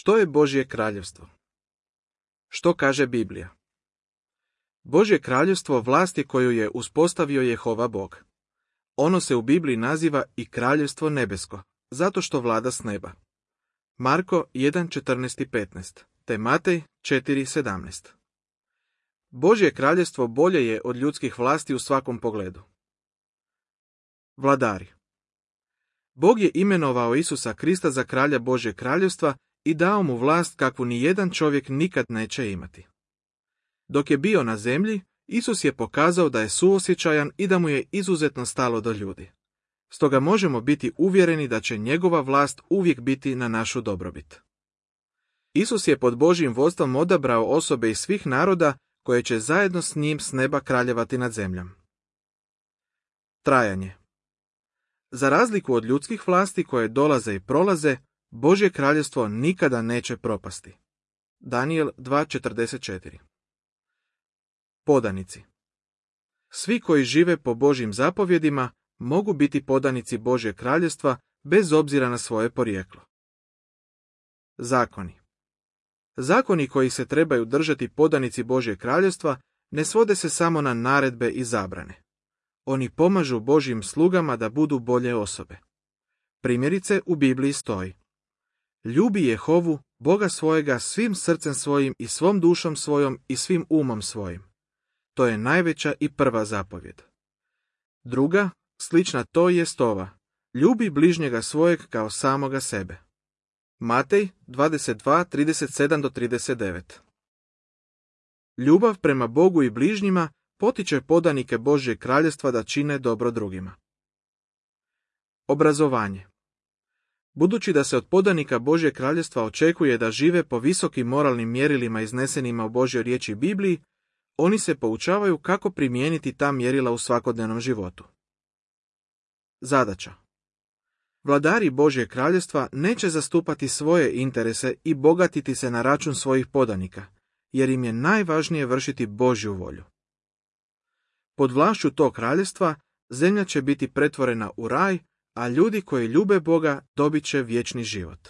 Što je Božje kraljevstvo? Što kaže Biblija? Božje kraljevstvo vlast je koju je uspostavio Jehova Bog. Ono se u Bibliji naziva i kraljevstvo nebesko, zato što vlada s neba. Marko 1:14-15, te Matej 4:17. Božje kraljevstvo bolje je od ljudskih vlasti u svakom pogledu. Vladari. Bog je imenovao Isusa Krista za kralja Božjeg kraljevstva i dao mu vlast kakvu ni jedan čovjek nikad neće imati. Dok je bio na zemlji, Isus je pokazao da je suosjećajan i da mu je izuzetno stalo do ljudi. Stoga možemo biti uvjereni da će njegova vlast uvijek biti na našu dobrobit. Isus je pod Božjim vodstvom odabrao osobe iz svih naroda koje će zajedno s njim s neba kraljevati nad zemljom. Trajanje. Za razliku od ljudskih vlasti koje dolaze i prolaze, Božje kraljevstvo nikada neće propasti. Danijel 2:44. Podanici. Svi koji žive po Božjim zapovjedima mogu biti podanici Božjeg kraljevstva bez obzira na svoje porijeklo. Zakoni. Zakoni koji se trebaju držati podanici Božjeg kraljevstva ne svode se samo na naredbe i zabrane. Oni pomažu Božjim slugama da budu bolje osobe. Primjerice u Bibliji stoji: ljubi Jehovu, Boga svojega, svim srcem svojim i svom dušom svojom i svim umom svojim. To je najveća i prva zapovjed. Druga, slična toj jest ova: ljubi bližnjega svojeg kao samoga sebe. Matej 22:37-39. Ljubav prema Bogu i bližnjima potiče podanike Božjeg kraljevstva da čine dobro drugima. Obrazovanje. Budući da se od podanika Božjeg kraljevstva očekuje da žive po visokim moralnim mjerilima iznesenima u Božjoj riječi Bibliji, oni se poučavaju kako primijeniti ta mjerila u svakodnevnom životu. Zadaća. Vladari Božjeg kraljevstva neće zastupati svoje interese i bogatiti se na račun svojih podanika, jer im je najvažnije vršiti Božju volju. Pod vlašću tog kraljevstva zemlja će biti pretvorena u raj, a ljudi koji ljube Boga dobit će vječni život.